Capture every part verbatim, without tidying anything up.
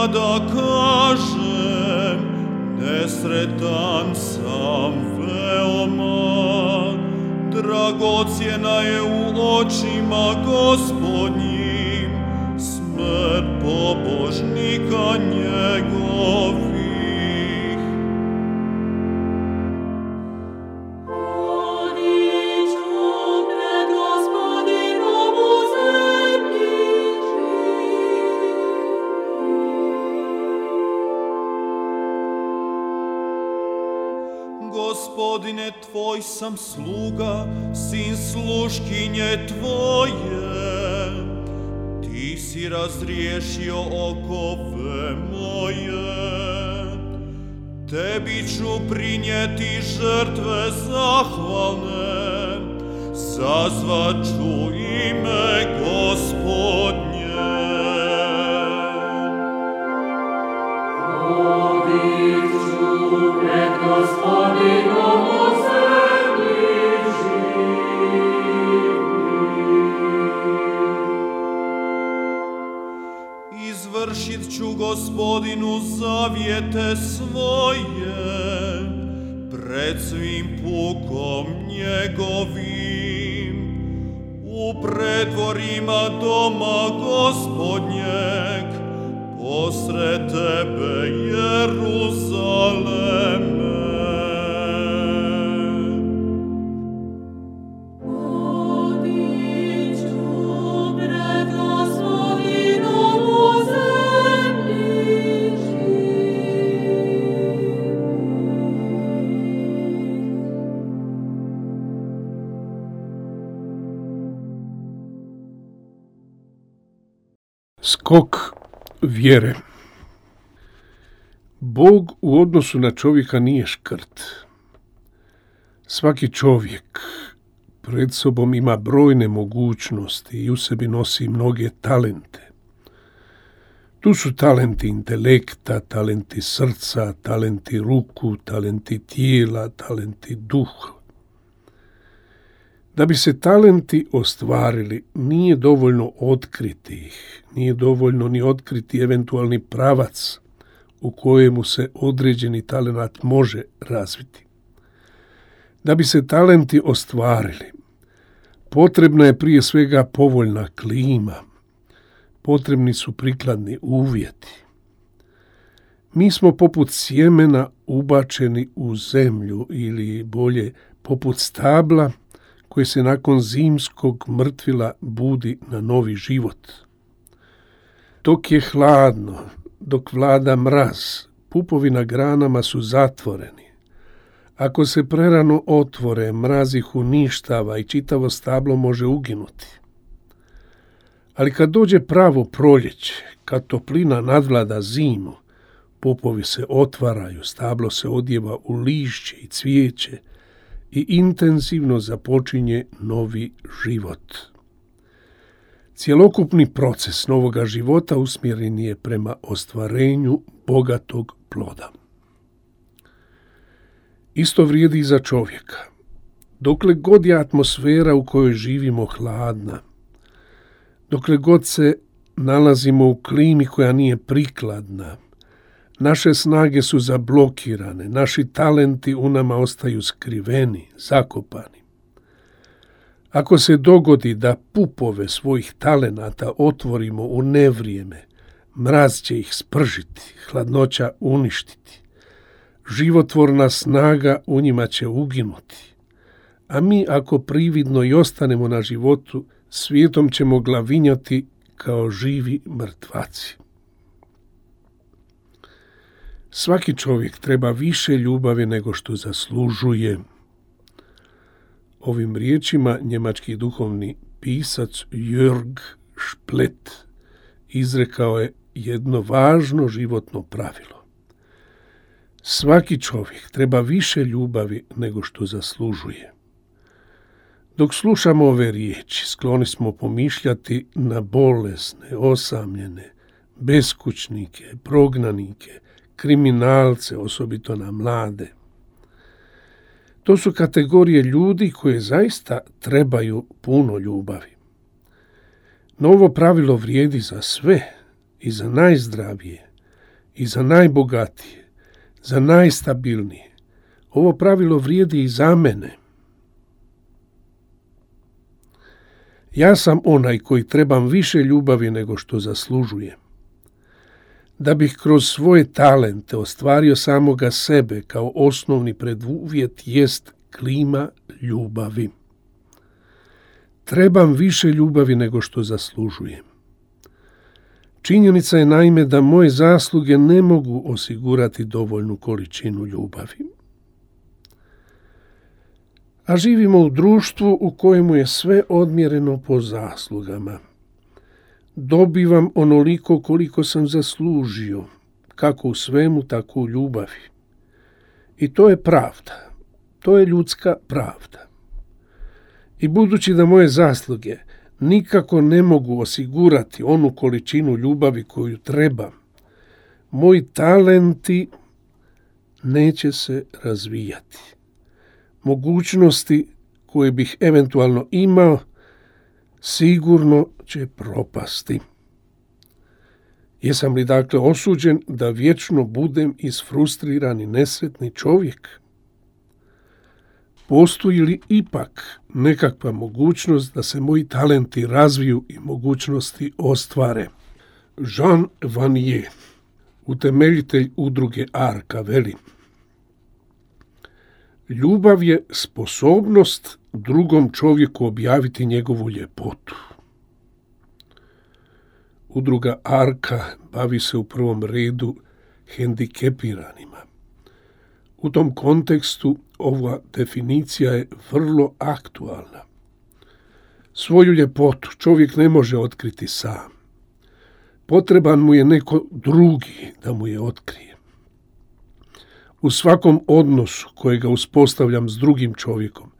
da kažem, nesretan sam veoma, dragocjena je u očima Gospodnjim smrt pobožnika njegovih. Gospodine, tvoj sam sluga, sin sluškinje tvoje. Ti si razriješio okove moje. Tebi ću prinijeti žrtve zahvalne, sazvat ću ime Gospodnje. Hodit ću pred Gospodinom u zemlji živih. Izvršit ću Gospodinu zavjete svoje pred svim pukom njegovim. U predvorima doma Gospodnjeg posred tebe, Jeruzaleme. Hodit ću pred Gospodinom u zemlji živih. Skok vjere. Bog u odnosu na čovjeka nije škrt. Svaki čovjek pred sobom ima brojne mogućnosti i u sebi nosi mnoge talente. Tu su talenti intelekta, talenti srca, talenti ruku, talenti tijela, talenti duha. Da bi se talenti ostvarili, nije dovoljno otkriti ih, nije dovoljno ni otkriti eventualni pravac u kojemu se određeni talenat može razviti. Da bi se talenti ostvarili, potrebna je prije svega povoljna klima, potrebni su prikladni uvjeti. Mi smo poput sjemena ubačeni u zemlju ili bolje poput stabla koje se nakon zimskog mrtvila budi na novi život. Dok je hladno, dok vlada mraz, pupovi na granama su zatvoreni. Ako se prerano otvore, mraz ih uništava i čitavo stablo može uginuti. Ali kad dođe pravo proljeće, kad toplina nadvlada zimu, pupovi se otvaraju, stablo se odjeva u lišće i cvijeće, i intenzivno započinje novi život. Cjelokupni proces novoga života usmjeren je prema ostvarenju bogatog ploda. Isto vrijedi i za čovjeka. Dokle god je atmosfera u kojoj živimo hladna, dokle god se nalazimo u klimi koja nije prikladna, naše snage su zablokirane, naši talenti u nama ostaju skriveni, zakopani. Ako se dogodi da pupove svojih talenata otvorimo u nevrijeme, mraz će ih spržiti, hladnoća uništiti. Životvorna snaga u njima će uginuti. A mi ako prividno i ostanemo na životu, svijetom ćemo glavinjati kao živi mrtvaci. Svaki čovjek treba više ljubavi nego što zaslužuje. Ovim riječima njemački duhovni pisac Jörg Splet izrekao je jedno važno životno pravilo. Svaki čovjek treba više ljubavi nego što zaslužuje. Dok slušamo ove riječi, skloni smo pomišljati na bolesne, osamljene, beskućnike, prognanike, kriminalce, osobito na mlade. To su kategorije ljudi koje zaista trebaju puno ljubavi. No ovo pravilo vrijedi za sve, i za najzdravije, i za najbogatije, za najstabilnije. Ovo pravilo vrijedi i za mene. Ja sam onaj koji trebam više ljubavi nego što zaslužujem. Da bih kroz svoje talente ostvario samoga sebe kao osnovni preduvjet jest klima ljubavi. Trebam više ljubavi nego što zaslužujem. Činjenica je naime da moje zasluge ne mogu osigurati dovoljnu količinu ljubavi. A živimo u društvu u kojemu je sve odmjereno po zaslugama. Dobivam onoliko koliko sam zaslužio, kako u svemu, tako u ljubavi. I to je pravda. To je ljudska pravda. I budući da moje zasluge nikako ne mogu osigurati onu količinu ljubavi koju trebam, moji talenti neće se razvijati. Mogućnosti koje bih eventualno imao sigurno će propasti. Jesam li dakle osuđen da vječno budem isfrustriran i nesretni čovjek? Postoji li ipak nekakva mogućnost da se moji talenti razviju i mogućnosti ostvare? Jean Vanier, utemeljitelj udruge Arka, veli: ljubav je sposobnost drugom čovjeku objaviti njegovu ljepotu. Udruga Arka bavi se u prvom redu hendikepiranima. U tom kontekstu ova definicija je vrlo aktualna. Svoju ljepotu čovjek ne može otkriti sam. Potreban mu je neko drugi da mu je otkrije. U svakom odnosu kojega uspostavljam s drugim čovjekom,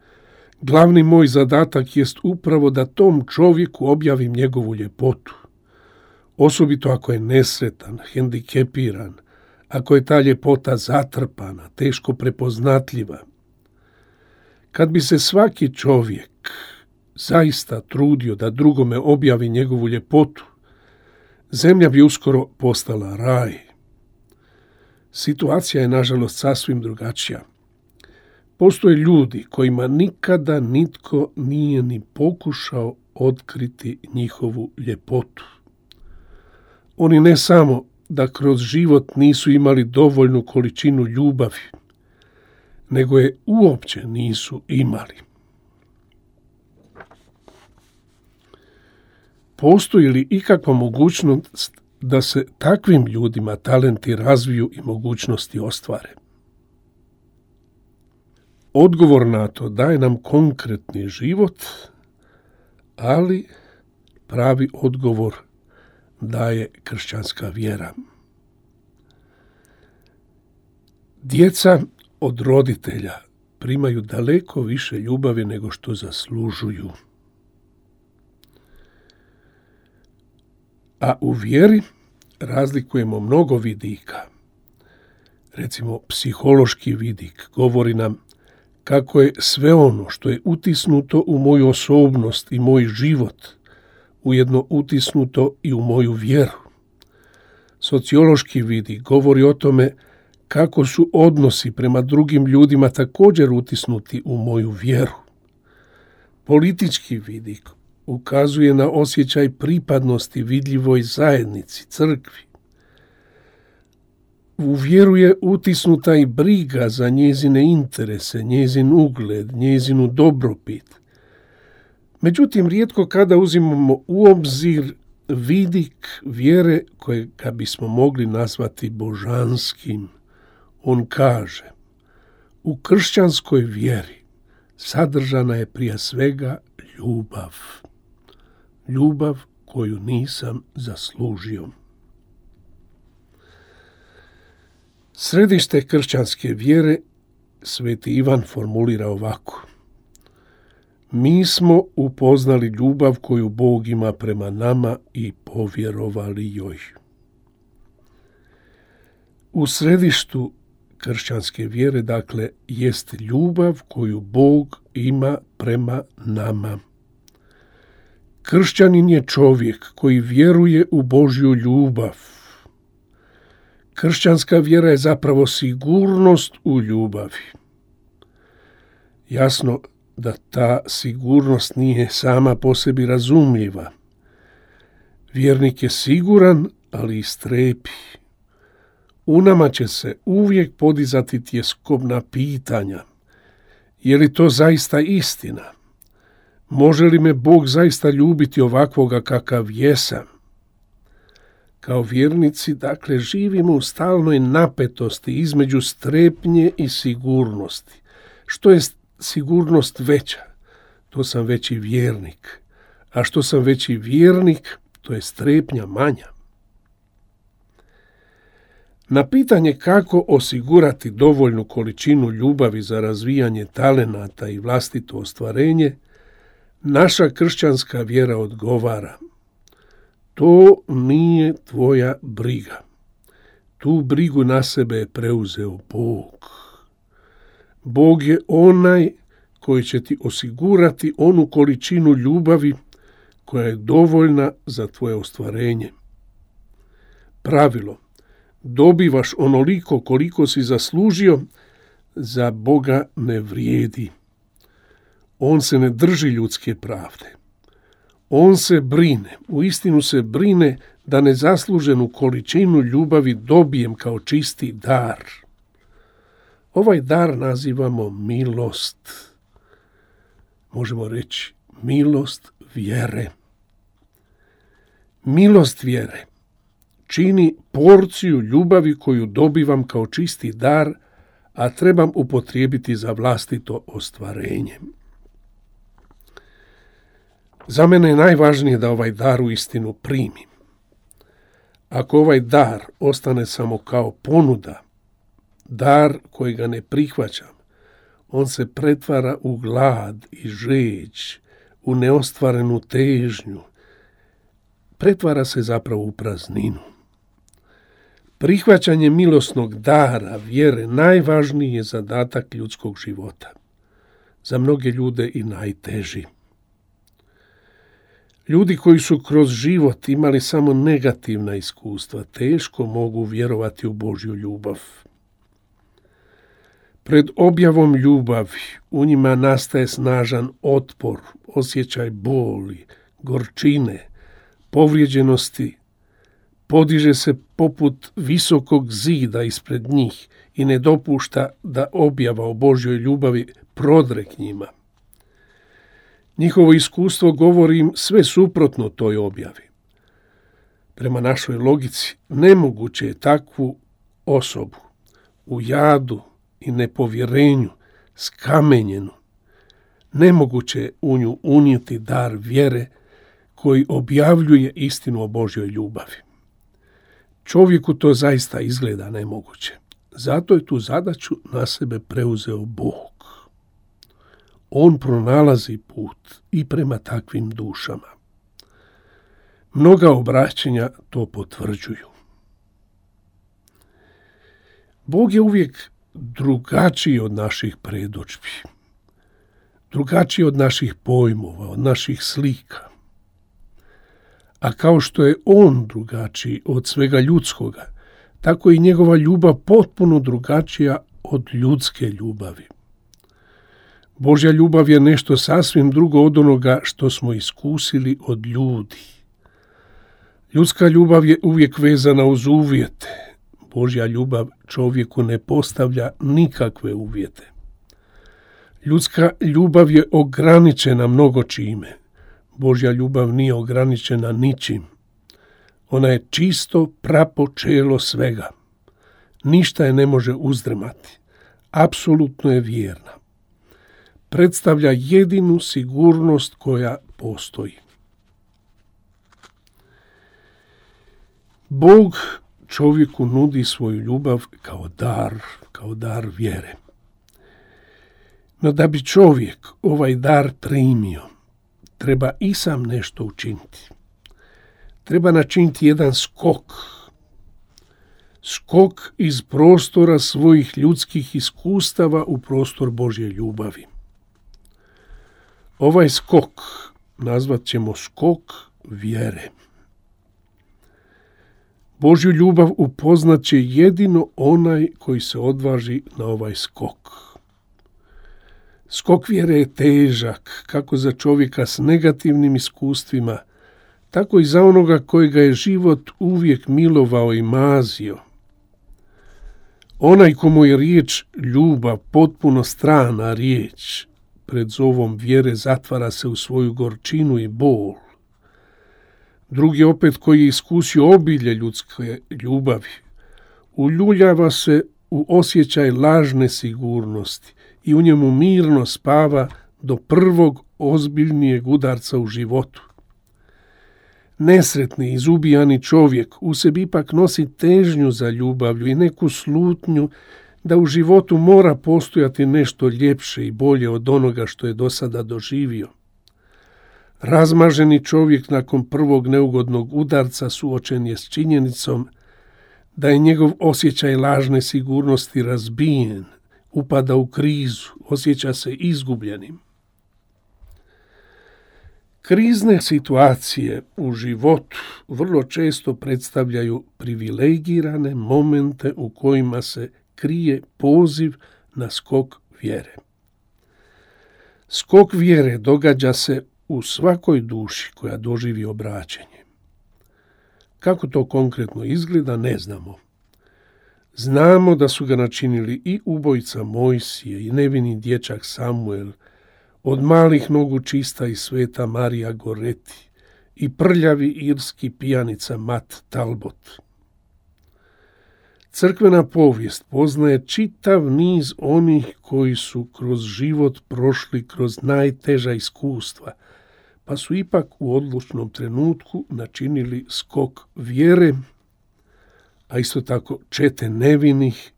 glavni moj zadatak jest upravo da tom čovjeku objavim njegovu ljepotu. Osobito ako je nesretan, hendikepiran, ako je ta ljepota zatrpana, teško prepoznatljiva. Kad bi se svaki čovjek zaista trudio da drugome objavi njegovu ljepotu, zemlja bi uskoro postala raj. Situacija je nažalost sasvim drugačija. Postoje ljudi kojima nikada nitko nije ni pokušao otkriti njihovu ljepotu. Oni ne samo da kroz život nisu imali dovoljnu količinu ljubavi, nego je uopće nisu imali. Postoji li ikakva mogućnost da se takvim ljudima talenti razviju i mogućnosti ostvare? Odgovor na to daje nam konkretni život, ali pravi odgovor daje kršćanska vjera. Djeca od roditelja primaju daleko više ljubavi nego što zaslužuju. A u vjeri razlikujemo mnogo vidika. Recimo, psihološki vidik govori nam kako je sve ono što je utisnuto u moju osobnost i moj život ujedno utisnuto i u moju vjeru. Sociološki vidik govori o tome kako su odnosi prema drugim ljudima također utisnuti u moju vjeru. Politički vidik ukazuje na osjećaj pripadnosti vidljivoj zajednici, crkvi. U vjeru je utisnuta i briga za njezine interese, njezin ugled, njezinu dobrobit. Međutim, rijetko kada uzimamo u obzir vidik vjere kojega bismo mogli nazvati božanskim. On kaže: u kršćanskoj vjeri sadržana je prije svega ljubav. Ljubav koju nisam zaslužio. Središte kršćanske vjere Sveti Ivan formulira ovako: mi smo upoznali ljubav koju Bog ima prema nama i povjerovali joj. U središtu kršćanske vjere, dakle, jest ljubav koju Bog ima prema nama. Kršćanin je čovjek koji vjeruje u Božju ljubav. Kršćanska vjera je zapravo sigurnost u ljubavi. Jasno da ta sigurnost nije sama po sebi razumljiva. Vjernik je siguran, ali i strepi. U nama će se uvijek podizati tjeskobna pitanja. Je li to zaista istina? Može li me Bog zaista ljubiti ovakvoga kakav jesam? Kao vjernici, dakle, živimo u stalnoj napetosti između strepnje i sigurnosti. Što je sigurnost veća? To sam veći vjernik. A što sam veći vjernik, to je strepnja manja. Na pitanje kako osigurati dovoljnu količinu ljubavi za razvijanje talenata i vlastito ostvarenje, naša kršćanska vjera odgovara: to nije tvoja briga. Tu brigu na sebe je preuzeo Bog. Bog je onaj koji će ti osigurati onu količinu ljubavi koja je dovoljna za tvoje ostvarenje. Pravilo: dobivaš onoliko koliko si zaslužio, za Boga ne vrijedi. On se ne drži ljudske pravde. On se brine, uistinu se brine da nezasluženu količinu ljubavi dobijem kao čisti dar. Ovaj dar nazivamo milost. Možemo reći milost vjere. Milost vjere čini porciju ljubavi koju dobivam kao čisti dar, a trebam upotrijebiti za vlastito ostvarenje. Za mene je najvažnije da ovaj dar uistinu primim. Ako ovaj dar ostane samo kao ponuda, dar kojega ne prihvaćam, on se pretvara u glad i žeđ, u neostvarenu težnju. Pretvara se zapravo u prazninu. Prihvaćanje milosnog dara vjere najvažniji je zadatak ljudskog života. Za mnoge ljude i najteži. Ljudi koji su kroz život imali samo negativna iskustva, teško mogu vjerovati u Božju ljubav. Pred objavom ljubavi u njima nastaje snažan otpor, osjećaj boli, gorčine, povrijeđenosti, podiže se poput visokog zida ispred njih i ne dopušta da objava o Božjoj ljubavi prodre k njima. Njihovo iskustvo govori im sve suprotno toj objavi. Prema našoj logici, nemoguće je takvu osobu u jadu i nepovjerenju, skamenjenu, nemoguće je u nju unijeti dar vjere koji objavljuje istinu o Božjoj ljubavi. Čovjeku to zaista izgleda nemoguće. Zato je tu zadaću na sebe preuzeo Bog. On pronalazi put i prema takvim dušama. Mnoga obraćanja to potvrđuju. Bog je uvijek drugačiji od naših predodžbi, drugačiji od naših pojmova, od naših slika. A kao što je on drugačiji od svega ljudskoga, tako i njegova ljubav potpuno drugačija od ljudske ljubavi. Božja ljubav je nešto sasvim drugo od onoga što smo iskusili od ljudi. Ljudska ljubav je uvijek vezana uz uvjete. Božja ljubav čovjeku ne postavlja nikakve uvjete. Ljudska ljubav je ograničena mnogo čime. Božja ljubav nije ograničena ničim. Ona je čisto prapočelo svega. Ništa je ne može uzdrmati. Apsolutno je vjerna. Predstavlja jedinu sigurnost koja postoji. Bog čovjeku nudi svoju ljubav kao dar, kao dar vjere. No da bi čovjek ovaj dar primio, treba i sam nešto učiniti. Treba načiniti jedan skok. Skok iz prostora svojih ljudskih iskustava u prostor Božje ljubavi. Ovaj skok nazvat ćemo skok vjere. Božju ljubav upoznat će jedino onaj koji se odvaži na ovaj skok. Skok vjere je težak, kako za čovjeka s negativnim iskustvima, tako i za onoga kojega je život uvijek milovao i mazio. Onaj komu je riječ ljubav potpuno strana riječ, pred zovom vjere zatvara se u svoju gorčinu i bol. Drugi opet koji je iskusio obilje ljudske ljubavi, uljuljava se u osjećaj lažne sigurnosti i u njemu mirno spava do prvog ozbiljnijeg udarca u životu. Nesretni, izubijani čovjek u sebi ipak nosi težnju za ljubavlju i neku slutnju da u životu mora postojati nešto ljepše i bolje od onoga što je do sada doživio. Razmaženi čovjek nakon prvog neugodnog udarca suočen je s činjenicom da je njegov osjećaj lažne sigurnosti razbijen, upada u krizu, osjeća se izgubljenim. Krizne situacije u životu vrlo često predstavljaju privilegirane momente u kojima se krije poziv na skok vjere. Skok vjere događa se u svakoj duši koja doživi obraćenje. Kako to konkretno izgleda, ne znamo. Znamo da su ga načinili i ubojica Mojsije i nevini dječak Samuel, od malih nogu čista i sveta Marija Goreti i prljavi irski pijanica Mat Talbot. Crkvena povijest poznaje čitav niz onih koji su kroz život prošli kroz najteža iskustva, pa su ipak u odlučnom trenutku načinili skok vjere, a isto tako čete nevinih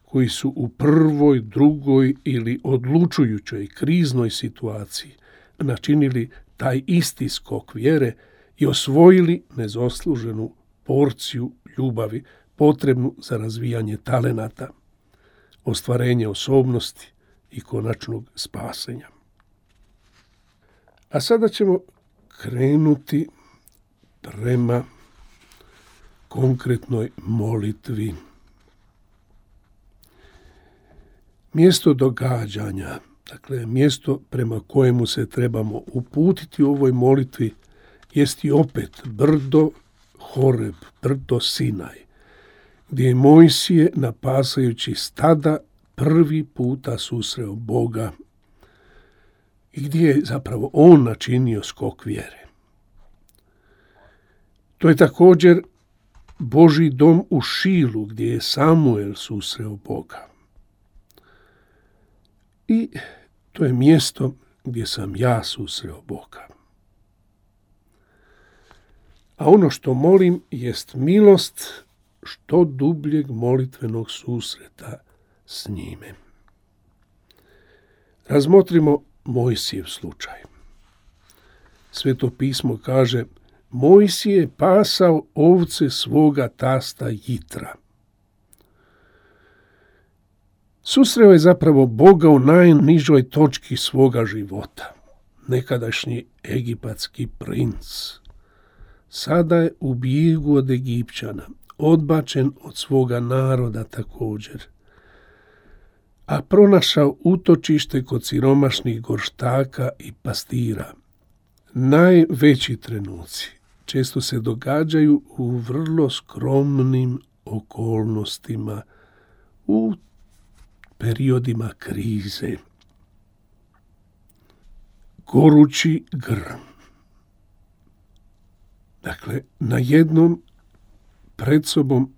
koji su u prvoj, drugoj ili odlučujućoj kriznoj situaciji načinili taj isti skok vjere i osvojili nezasluženu porciju ljubavi potrebnu za razvijanje talenata, ostvarenje osobnosti i konačnog spasenja. A sada ćemo krenuti prema konkretnoj molitvi. Mjesto događanja, dakle mjesto prema kojemu se trebamo uputiti u ovoj molitvi, jest i opet brdo Horeb, brdo Sinaj, gdje je Mojsije napasajući stada prvi puta susreo Boga i gdje je zapravo on načinio skok vjere. To je također Božji dom u Šilu, gdje je Samuel susreo Boga. I to je mjesto gdje sam ja susreo Boga. A ono što molim jest milost što dubljeg molitvenog susreta s njime. Razmotrimo Mojsijev slučaj. Sveto pismo kaže: Mojsije je pasao ovce svoga tasta Jitra. Susreo je zapravo Boga u najnižoj točki svoga života. Nekadašnji egipatski princ. Sada je u bijegu od Egipćana, odbačen od svoga naroda također, a pronašao utočište kod siromašnih gorštaka i pastira. Najveći trenuci često se događaju u vrlo skromnim okolnostima, u periodima krize. Gorući grm. Dakle, na jednom pred sobom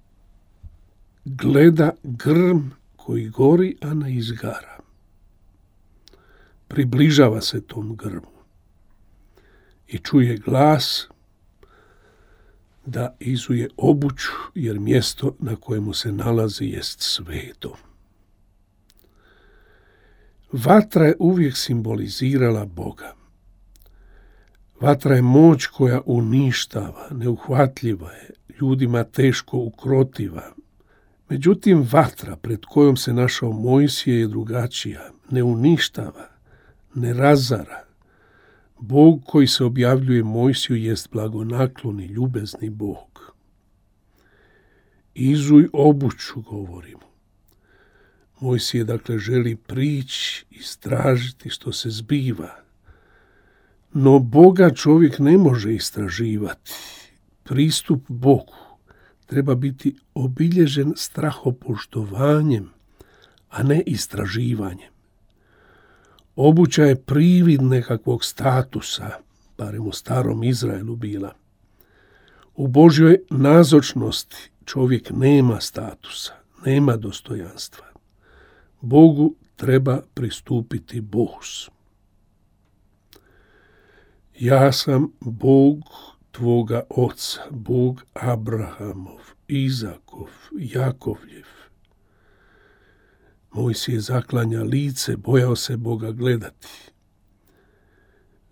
gleda grm koji gori, a ne izgara. Približava se tom grmu i čuje glas da izuje obuću, jer mjesto na kojemu se nalazi jest sveto. Vatra je uvijek simbolizirala Boga. Vatra je moć koja uništava, neuhvatljiva je, ljudima teško ukrotiva. Međutim, vatra pred kojom se našao Mojsije je drugačija, ne uništava, ne razara. Bog koji se objavljuje Mojsiju jest blagonakloni, ljubezni Bog. izuj obuću, govorimo. Mojsije, dakle, želi prići, istražiti što se zbiva. No Boga čovjek ne može istraživati. Pristup Bogu treba biti obilježen strahopoštovanjem, a ne istraživanjem. Obuća je privid nekakvog statusa, barem u starom Izraelu bila. U Božjoj nazočnosti čovjek nema statusa, nema dostojanstva. Bogu treba pristupiti bohus. Ja sam Bog tvoga oca, Bog Abrahamov, Izakov, Jakovljev. Mojsije zaklanja lice, bojao se Boga gledati.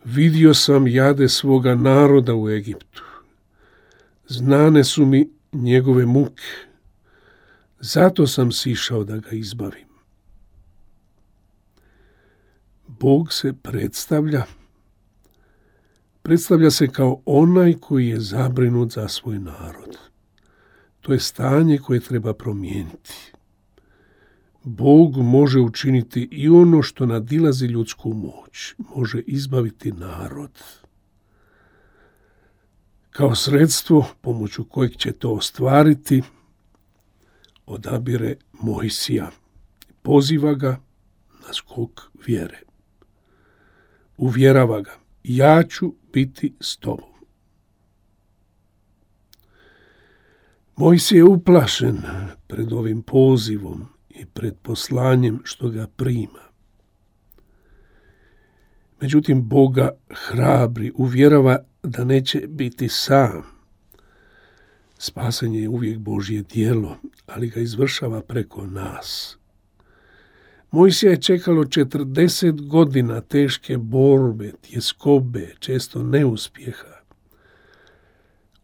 Vidio sam jade svoga naroda u Egiptu. Znane su mi njegove muke. Zato sam sišao da ga izbavim. Bog se predstavlja. Predstavlja se kao onaj koji je zabrinut za svoj narod. To je stanje koje treba promijeniti. Bog može učiniti i ono što nadilazi ljudsku moć. Može izbaviti narod. Kao sredstvo pomoću kojeg će to ostvariti, odabire Mojsija. Poziva ga na skok vjere. Uvjerava ga, ja ću biti s tobom. Mojsije je uplašen pred ovim pozivom i pred poslanjem što ga prima. Međutim, Boga hrabri, uvjerava da neće biti sam. Spasenje je uvijek Božje djelo, ali ga izvršava preko nas. Mojsija je čekalo četrdeset godina teške borbe, tjeskobe, često neuspjeha.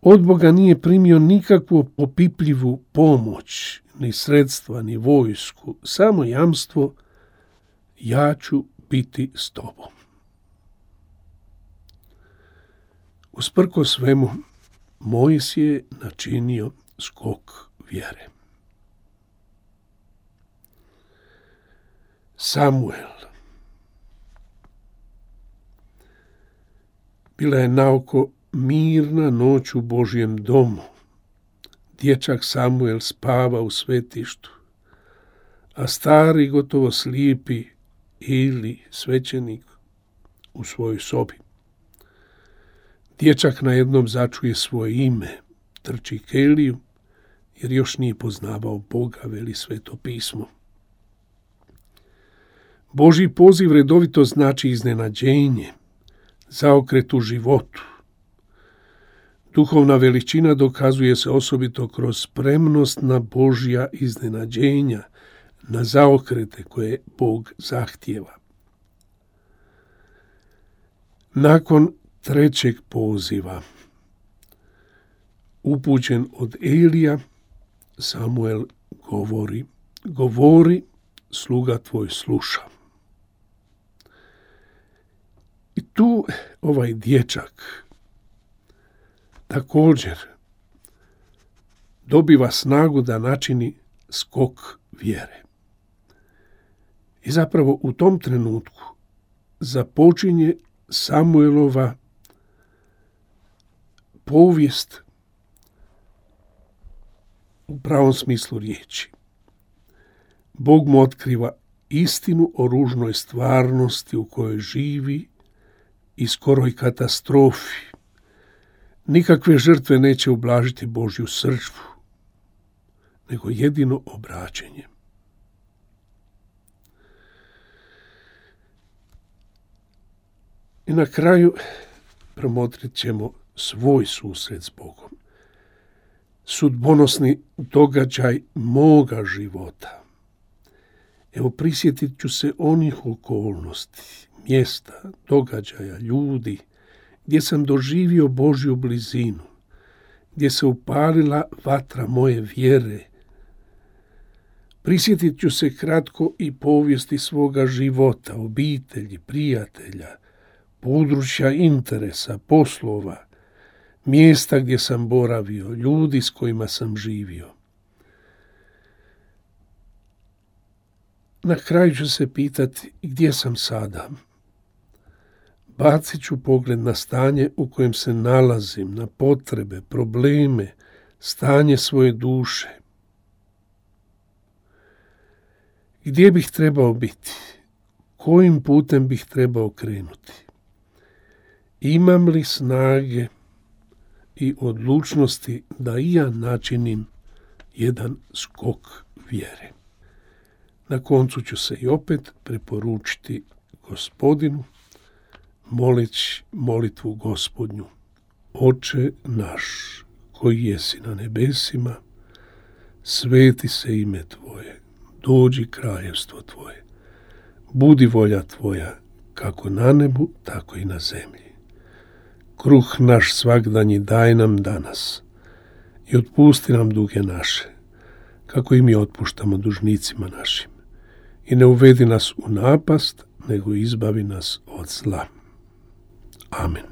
Od Boga nije primio nikakvu opipljivu pomoć, ni sredstva, ni vojsku, samo jamstvo, ja ću biti s tobom. Usprko svemu, Mojsije je načinio skok vjere. Samuel. Bila je naoko mirna noć u Božjem domu. Dječak Samuel spava u svetištu, a stari, gotovo slijepi Ili, svećenik, u svojoj sobi. Dječak najednom začuje svoje ime, trči k Eliju, jer još nije poznavao Boga, veli Sveto pismo. Božji poziv redovito znači iznenađenje, zaokret u životu. Duhovna veličina dokazuje se osobito kroz spremnost na Božja iznenađenja, na zaokrete koje Bog zahtijeva. Nakon trećeg poziva, upućen od Elija, Samuel govori, govori, sluga tvoj sluša. I tu ovaj dječak također dobiva snagu da načini skok vjere. I zapravo u tom trenutku započinje Samuelova povijest u pravom smislu riječi. Bog mu otkriva istinu o ružnoj stvarnosti u kojoj živi i skoroj katastrofi. Nikakve žrtve neće ublažiti Božju srdžbu, nego jedino obraćenje. I na kraju promotrit ćemo svoj susret s Bogom. Sudbonosni događaj moga života. Evo, prisjetit ću se onih okolnosti, mjesta, događaja, ljudi, gdje sam doživio Božju blizinu, gdje se upalila vatra moje vjere. Prisjetit ću se kratko i povijesti svoga života, obitelji, prijatelja, područja interesa, poslova, mjesta gdje sam boravio, ljudi s kojima sam živio. Na kraju ću se pitati gdje sam sada. Bacit ću pogled na stanje u kojem se nalazim, na potrebe, probleme, stanje svoje duše. Gdje bih trebao biti? Kojim putem bih trebao krenuti? Imam li snage i odlučnosti da i ja načinim jedan skok vjere? Na koncu ću se i opet preporučiti Gospodinu, moleći molitvu Gospodnju. Oče naš, koji jesi na nebesima, sveti se ime Tvoje, dođi kraljevstvo Tvoje, budi volja Tvoja, kako na nebu, tako i na zemlji. Kruh naš svagdanji daj nam danas i otpusti nam duge naše, kako i mi otpuštamo dužnicima našim. I ne uvedi nas u napast, nego izbavi nas od zla. Amen.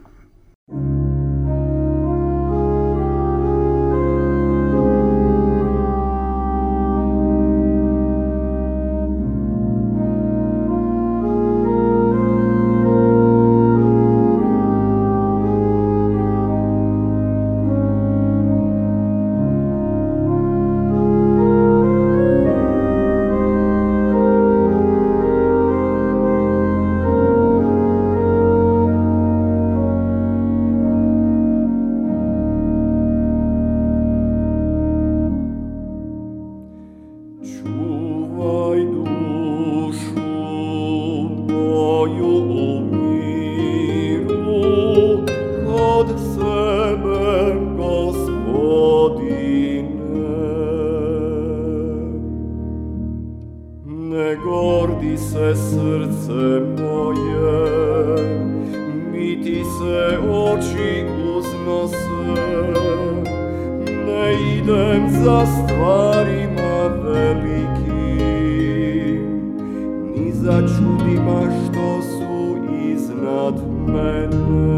gordi se srce moje, niti se oči uznose, ne idem za stvarima velikim, ni za čudima što su iznad mene.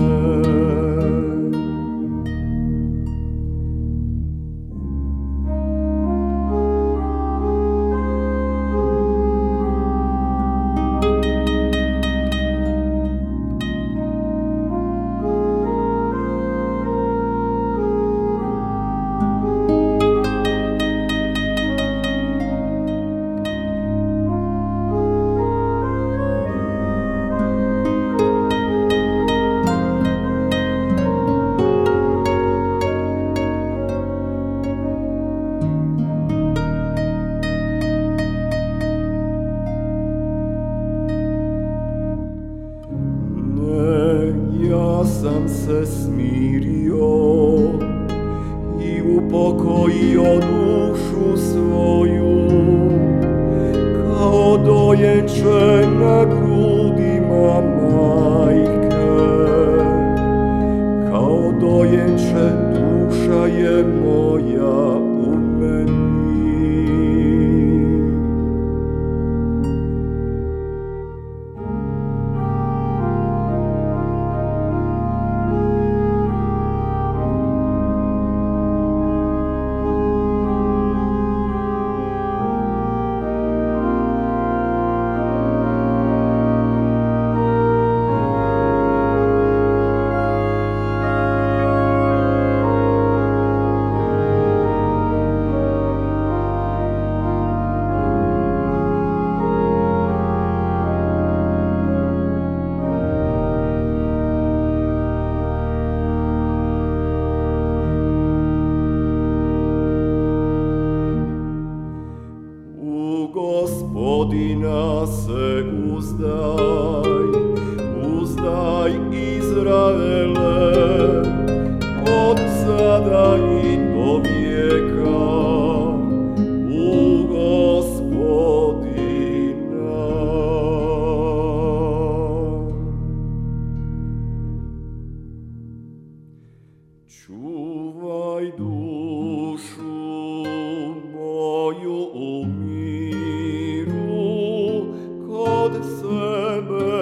Sam se smirio i upokojio dušu svoju, kao dojenče na grudima majke, kao dojenče duša je moja u meni. Gospodina se uzdaj, uzdaj Izraele, od sada i do vijeka, u Gospodina. Čuvaj dušu moju u miru, kod sebe